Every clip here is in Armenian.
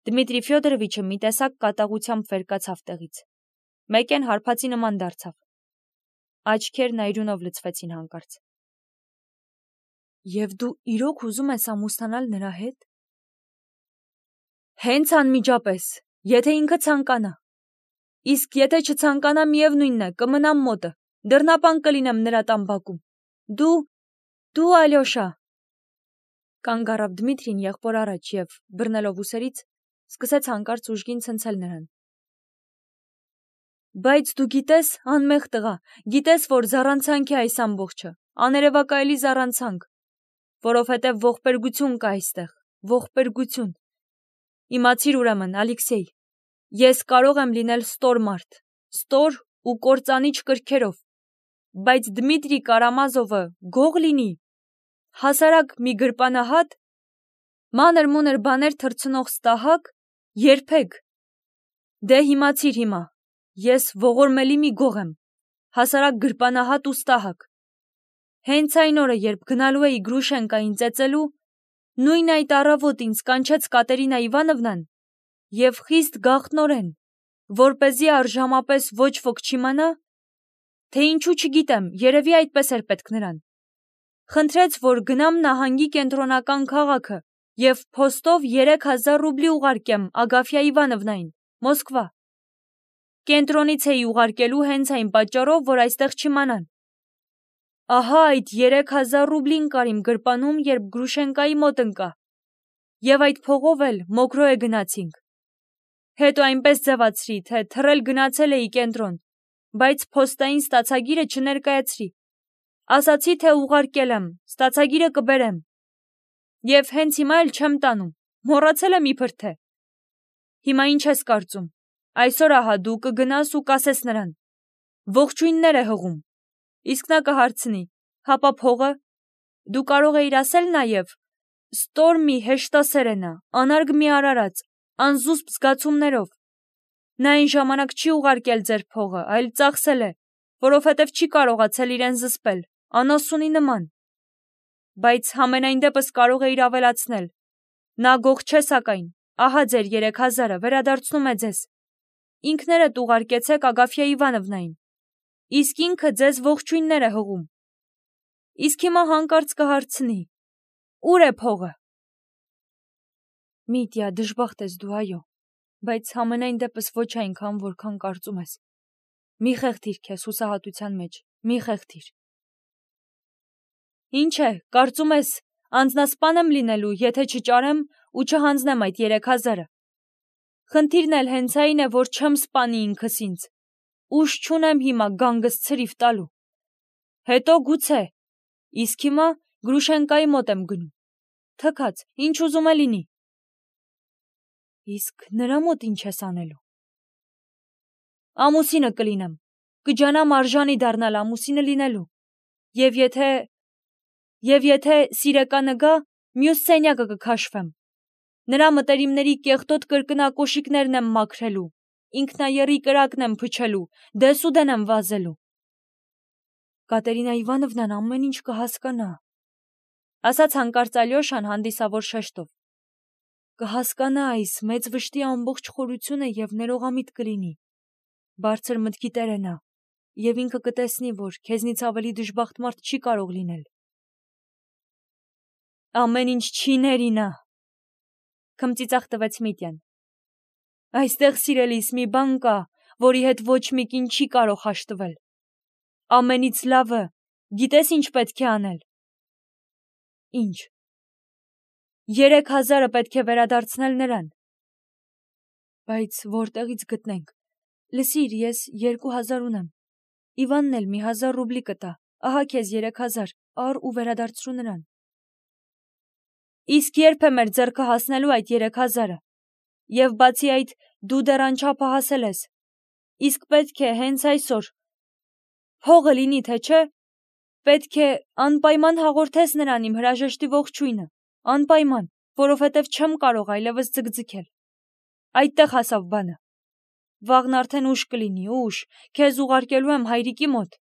Դմիտրի Ֆյոդորովիչը մի տեսակ կատաղությամբ վեր կացավ տեղից։ Մեկեն հարբածի նման դարձավ։ Աչքերն այրունով լցվեցին հանկարծ։ Եվ դու իրոք ուզում ես ամուսնանալ նրա հետ։ Հենց անմիջապես, եթե ինքը ցանկանա։ Իսկ եթե չցանկանա, միևնույնն է, կմնամ մոտը, դռնապան կլինեմ նրա տան բակում։ Դու Ալյոշա։ Կանգ առավ Դմիտրին եղբոր առաջ եւ, բռնելով ուսերից, սկսեց հանկարծ ուժգին ցնցել նրան։ Բայց դու գիտես, անմեղ տղա, գիտես, որ զառանցանք է այս ամբողջը, աներևակայելի զառանցանք, որովհետև ողբերգություն կա այստեղ, ողբերգություն։ Իմացիր ուրեմն, Ալեքսեյ, ես կարող եմ լինել ստոր մարդ, ստոր ու կործանիչ կրքերով, բայց Դմիտրի Կարամազովը գող լինի, հասարակ մի գրպանահատ, մանր-մունր բաներ թռցնող ստահակ, երբեք։ Դե հիմացիր հիմա, ես ողորմելի մի գող եմ, հասարակ գրպանահատ ու ստահակ։ Հենց այն օրը, երբ գնալու էի Գրուշենկային ծեծելու, նույն այդ առավոտ ինձ կանչեց Կատերինա Իվանովնան և խիստ գաղտնորեն, որպեսզի առժամապես ոչ ոք չիմանա, թե ինչու չգիտեմ, երևի այդպես էր պետք նրան։ Խնդրեց, որ գնամ նահանգի կենտրոնական քաղաքը և փոստով 3000 ռուբլի ուղարկեմ Ագաֆյա Իվանովնային, Մոսկվա։ Կենտրոնից էի ուղարկելու հենց այն պատճառով, որ այստեղ չիմանան։ Ահա այդ 3000 ռուբլին կար իմ գրպանում, երբ Գրուշենկայի մոտ ընկա, և այդ փողով էլ Մոկրոյե գնացինք։ Հետո այնպես ձևացրի, թե թռել գնացել էի կենտրոն, բայց փոստային ստացագիրը չներկայացրի։ Ասացի, թե ուղարկել եմ, ստացագիրը կբերեմ։ Եվ հենց հիմա էլ չեմ տանում, մոռացել եմ իբր թե։ Հիմա ինչ ես կարծում։ Այսօր ահա դու կգնաս ու կասես նրան. ողջույններ է հղում։ Իսկ նա կհարցնի. հապա փողը։ Դու կարող էիր ասել նաև. ստոր մի հեշտասեր է նա, անարգ մի արարած, անզուսպ զգացումներով։ Նա այն ժամանակ չի ուղարկել ձեր փողը, այլ ծախսել է, որովհետև չի կարողացել իրեն զսպել, անասունի նման։ Բայց համենայն դեպս կարող էիր ավելացնել. նա գող չէ սակայն, ահա ձեր 3000-ը վերադարձնում է ձեզ։ Ինքներդ ուղարկեցեք Ագաֆյա Իվանովնային, իսկ ինքը ձեզ ողջույններ է հղում։ Իսկ հիմա հանկարծ կհարցնի. ուր է փողը։ Միտյա, դժբախտ ես դու, այո, բայց համենայն դեպս ոչ այնքան, որքան կարծում ես։ Մի խեղդիր քեզ հուսահատության մեջ, մի խեղդիր։ Ինչ է, կարծում ես, անձնասպան եմ լինելու, եթե չճարեմ ու չհանձնեմ այդ 3000-ը։ Խնդիրն էլ հենց այն է, որ չեմ սպանի ինքս ինձ։ Ուժ չունեմ հիմա գանգս ցրիվ տալու։ Հետո գուցե, իսկ հիմա Գրուշենկայի մոտ եմ գնում։ Թքած, ինչ ուզում է լինի։ Իսկ նրա մոտ ինչ ես անելու։ Ամուսինը կլինեմ, կջանամ արժանի դառնալ ամուսինը լինելու։ Եվ եթե սիրեկանը գա, մյուս սենյակը կքաշվեմ։ Նրա մտերիմների կեղտոտ կրկնակոշիկներն եմ մաքրելու, ինքնաեռի կրակն եմ փչելու, դեսուդեն եմ վազելու։ Կատերինա Իվանովնան ամեն ինչ կհասկանա, ասաց հանկարծ Ալյոշան հանդիսավոր շեշտով։ Կհասկանա այս մեծ վշտի ամբողջ խորությունը և ներողամիտ կլինի։ Բարձր մտքի տեր է նա, և ինքը կտեսնի, որ քեզնից ավելի դժբախտ մարդ չի կարող լինել։ Ամեն ինչ չի ների նա, քմծիծաղ տվեց Միտյան։ Այստեղ, սիրելիս, մի բան կա, որի հետ ոչ մի կին չի կարող հաշտվել։ Ամենից լավը, գիտես ինչ պետք է անել։ Ինչ։ 3000-ը պետք է վերադարձնել նրան։ Բայց որտեղից գտնենք։ Լսիր, ես 2000 ունեմ։ Իվանն էլ մի 1000 ռուբլի կտա, ահա քեզ 3000, առ ու վերադարձրու նրան։ Իսկ երբ է մեր ձեռքը հասնելու այդ 3000-ը։ Եվ բացի այդ, դու դեռ անչափահասել ես։ Իսկ պետք է հենց այսօր։ Փողը լինի, թե չէ։ Պետք է անպայման հաղորդես նրան իմ հրաժեշտի ողջույնը, անպայման, որովհետև չեմ կարող այլևս ձգձգել։ Այդտեղ հասավ բանը։ Վաղն արդեն ուշ կլինի, ուշ, քեզ ուղարկելու եմ հայրիկի մոտ։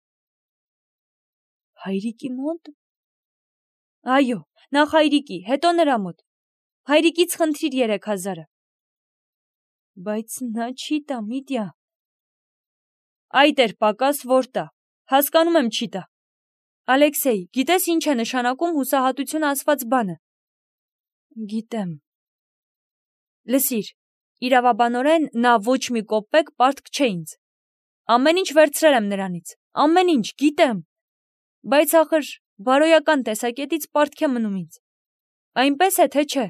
Հայրիկի մոտ։ Այո, նախ հայրիկի, հետո նրա մոտ։ Հայրիկից խնդրիր 3000-ը։ Բայց նա չի տա, Միտյա։ Այդ էր պակաս, որ տա։ Հասկանում եմ չի տա։ Ալեքսեյ, գիտես ինչ է նշանակում հուսահատություն ասված բանը։ Գիտեմ։ Լսիր, իրավաբանորեն նա ոչ մի կոպեկ պարտք չէ ինձ։ Ամեն ինչ վերցրել եմ նրանից, ամեն ինչ, գիտեմ։ Բայց ախր բարոյական տեսակետից պարտք է մնում ինձ։ Այնպես է, թե չէ։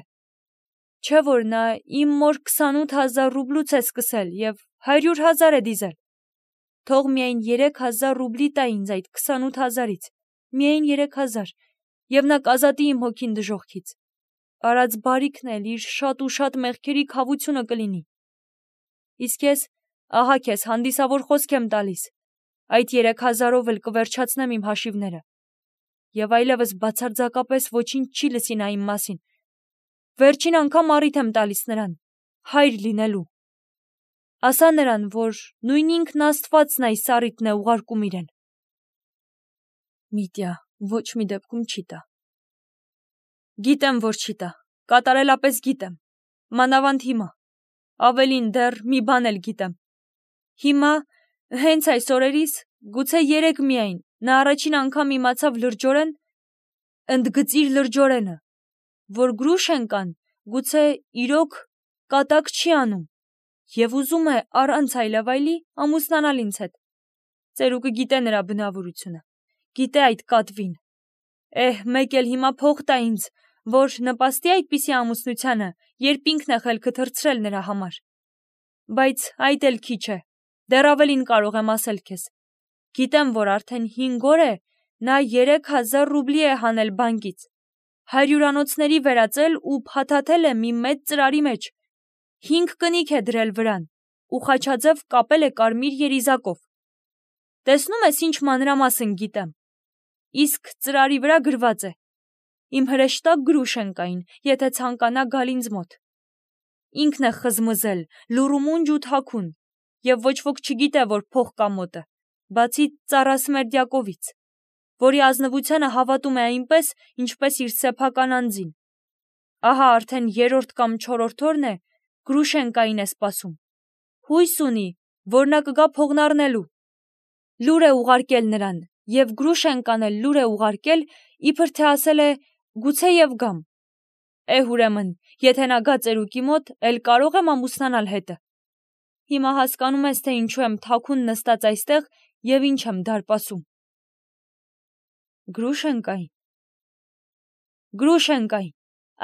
Չէ որ նա իմ մոր 28,000 ռուբլուց է սկսել և 100,000 է դիզել։ Թող միայն 3,000 ռուբլի տա ինձ այդ 28,000-ից, միայն 3,000, և նա կազատի իմ հոգին դժոխքից։ Արած բարիքն էլ իր շատ ու շատ մեղքերի քավությունը կլինի։ Իսկ ես, ահա քեզ հանդիսավոր խոսք եմ տալիս, այդ 3,000-ով էլ կվերջացնեմ իմ հաշիվները։ Եվ այլևս բացարձակապես ոչինչ չի լսի նա իմ մասին։ Վերջին անգամ առիթ եմ տալիս նրան, հայր լինելու։ Ասա նրան, որ նույն ինքն Աստվածն այս առիթն է ուղարկում իրեն։ Միտյա, ոչ մի դեպքում չի տա։ Գիտեմ, որ չի տա, կատարելապես գիտեմ, մանավանդ հիմա, ավելին դեռ մի բան էլ գիտեմ։ Հիմա, հենց այս օրերիս, գուցե երեկ միայն, նա առաջին անգամ իմացավ լրջորեն, ընդգծիր լրջորենը, որ Գրուշենկան գուցե իրոք կատակ չի անում և ուզում է առանց այլավայլի ամուսնանալ ինձ հետ։ Ծերուկը գիտե նրա բնավորությունը, գիտե այդ կատվին։ Մեկ էլ հիմա փող տա ինձ, որ նպաստի այդպիսի ամուսնությանը, երբ ինքն է խելքը թռցրել նրա համար։ Բայց այդ էլ քիչ է, դեռ ավելին կարող եմ ասել քեզ։ Գիտեմ, որ արդեն 5 օր է նա 3,000 ռուբլի է հանել բանկից, 100-անոցների վերածել ու փաթաթել է մի մեծ ծրարի մեջ, 5 կնիկ է դրել վրան ու խաչաձև կապել է կարմիր երիզակով։ Տեսնում ես ինչ մանրամասն գիտեմ։ Իսկ ծրարի վրա գրված է. իմ հրեշտակ Գրուշենկային, եթե ցանկանա գալ ինձ մոտ։ Ինքն է խզմզել, լուրումունջ ու թաքուն, և ոչ ոք չգիտե, որ փող կա մոտը, բացի Ծառասմերդյակովից, որի ազնվությանը հավատում է այնպես, ինչպես իր սեփական անձին։ Ահա արդեն 3-րդ կամ 4-րդ օրն է, Գրուշենկային է սպասում։ Հույս ունի, որ նա կգա փողն առնելու։ Լուր է ուղարկել նրան, և Գրուշենկան էլ լուր է ուղարկել, իբր թե ասել է գուցեև գամ։ Ուրեմն, եթե նա գա ծերուկի մոտ, էլ կարող եմ ամուսնանալ հետը։ Հիմա հասկանում ես, թե ինչու եմ թաքուն նստած այստեղ և ինչ եմ դարպասում։ Գրուշենկային։ Գրուշենկային,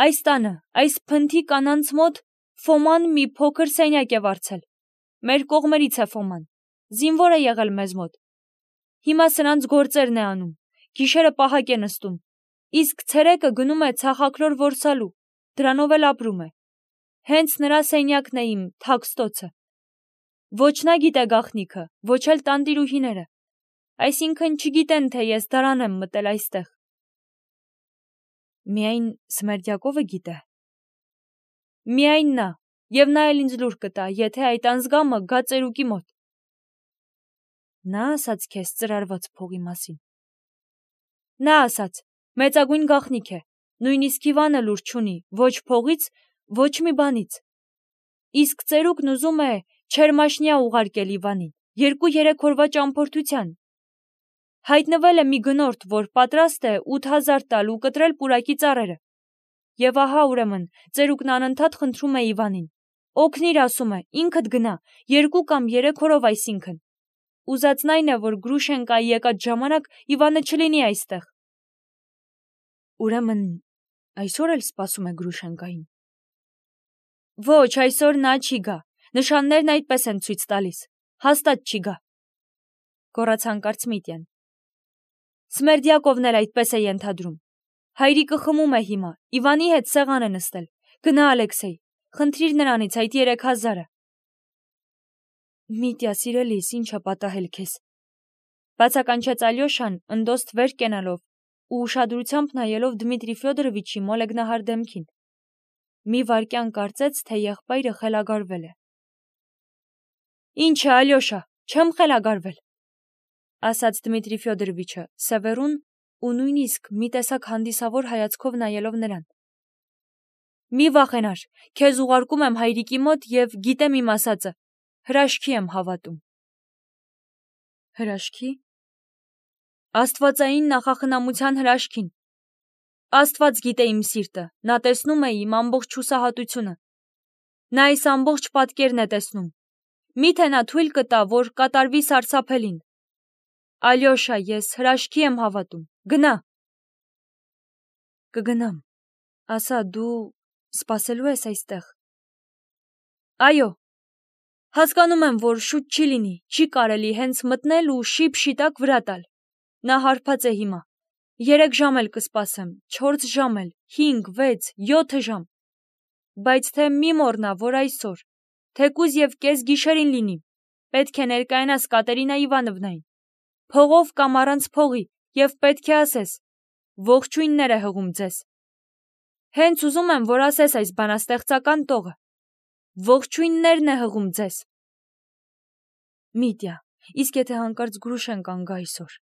այս տանը, այս փնթի կանանց մոտ Ֆոման մի փոքր սենյակ է վարձել։ Մեր կողմերից է Ֆոման, զինվոր է եղել մեզ մոտ։ Հիմա սրանց գործերն է անում, գիշերը պահակ է նստում, իսկ ցերեկը գնում է ցախաքլոր որսալու, դրանով էլ ապրում է։ Հենց նրա սենյակն է իմ թաքստոցը։ Ոչ նա գիտե գաղտնիքը, ոչ էլ տանտիրուհիները, այսինքն չգիտեն, թե ես դարան եմ մտել այստեղ։ Միայն Սմերդյակովը գիտե։ Միայն նա, և նա էլ ինձ լուր կտա, եթե այդ անձգամը գա ծերուկի մոտ։ Նա ասաց քեզ ծրարված փողի մասին։ Նա ասաց, մեծագույն գաղտնիք է, նույնիսկ Իվանը լուր չունի, ոչ փողից, ոչ մի բանից։ Իսկ ծերուկն ուզում է Չերմաշնյա ուղարկել Իվանին, 2-3 օրվա ճամփորդության։ Հայտնվել է մի գնորդ, որ պատրաստ է 8,000 տալ ու կտրել պուրակի ծառերը։ Եվ ահա ուրեմն, ծերուկն անընդհատ խնդրում է Իվանին. օգնիր, ասում է, ինքդ գնա, 2 կամ 3 օրով այսինքն։ Ուզածն այն է, որ Գրուշենկայի եկած ժամանակ Իվանը չլինի այստեղ։ Ուրեմն, այսօր էլ սպասում է Գրուշենկային։ Ոչ, այսօր նա չի գա, նշաններն այդպես են ցույց տալիս, հաստատ չի գա, գոռաց հանկարծ Միտյան։ Սմերդյակովն էլ այդպես է ենթադրում։ Հայրիկը խմում է հիմա, Իվանի հետ սեղան է նստել։ Գնա, Ալեքսեյ, խնդրիր նրանից այդ 3,000-ը։ Միտյա, սիրելիս, ինչ է պատահել քեզ։ Բացականչեց Ալյոշան, ընդոստ վեր կենալով ու ուշադրությամբ նայելով Դմիտրի Ֆյոդորովիչի մոլեգնահար դեմքին։ Մի վայրկյան կարծեց, թե եղբայրը խելագարվել է։ Ինչ է, Ալյոշա, չեմ խելագարվել, ասաց Դմիտրի Ֆյոդորովիչը Սևերուն ու նույնիսկ մի տեսակ հանդիսավոր հայացքով նայելով նրան։ Մի վախենար, քեզ ուղարկում եմ հայրիկի մոտ և գիտեմ իմ ասածը, հրաշքի եմ հավատում։ Հրաշքի։ Աստվածային նախախնամության հրաշքին։ Աստված գիտե իմ սիրտը, նա տեսնում է իմ ամբողջ հուսահատությունը։ Նա այս ամբողջ պատկերն է տեսնում։ Միթե նա թույլ կտա, որ կատարվի սարսափելին։ Ալյոշա, ես հրաշքի եմ հավատում, գնա։ Կգնամ, ասա, դու սպասելու ես այստեղ։ Այո, հասկանում եմ, որ շուտ չի լինի, չի կարելի հենց մտնել ու շիպ-շիտակ վրա տալ։ Նա հարբած է հիմա, 3 ժամ էլ կսպասեմ, 4 ժամ էլ, 5, 6, 7 ժամ։ Բայց թե մի մոռնա, որ այսօր, թեկուզ և կես գիշերին լինի, պետք է ներկայանաս Կատերինա Իվանովնային, փողով կամ առանց փողի, և պետք է ասես, ողջույններ է հղում ձեզ։ Հենց ուզում եմ, որ ասես այս բանաստեղծական տողը, ողջույններն է հղում ձեզ։ Միտյա, իսկ եթե հանկարծ Գրուշենկան գա այսօր,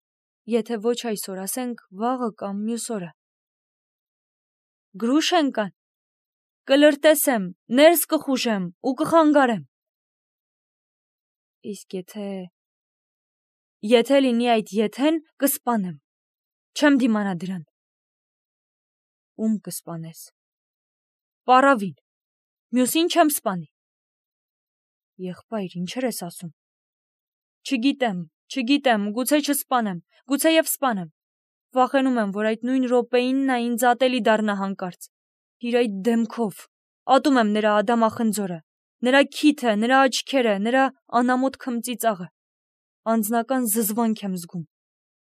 եթե ոչ այսօր, ասենք վաղը կամ մյուս օրը։ Գրուշենկան, կլրտեսեմ, ներս կխուժեմ ու կխանգարեմ։ Իսկ եթե լինի այդ եթեն, կսպանեմ, չեմ դիմանա դրան։ Ում կսպանես։ Պառավին, մյուսին չեմ սպանի։ Եղբայր, ինչեր ես ասում։ Չգիտեմ, գուցե չսպանեմ, գուցեև սպանեմ։ Վախենում եմ, որ այդ նույն րոպեին նա ինձ ատելի դառնա հանկարծ։ Իր այդ դեմքով, ատում եմ նրա ադամախնձորը, նրա քիթը, նրա աչքերը, նրա անամոթ քմծիծաղը։ Անձնական զզվանք եմ զգում։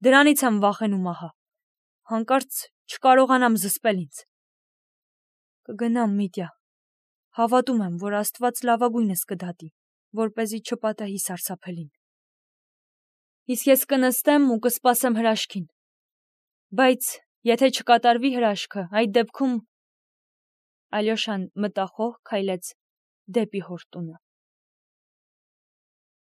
Դրանից եմ վախենում ահա։ Հանկարծ չկարողանամ զսպել ինձ։ Կգնամ, Միտյա։ Հավատում եմ, որ Աստված լավագույնս կդատի, որպեսզի չպատահի սարսափելին։ Իսկ ես կնստեմ ու կսպասեմ հրաշքին։ Բայց եթե չկատարվի հրաշքը, այդ դեպքում… Ալյոշան մտախոհ քայլեց դեպի հոր տունը։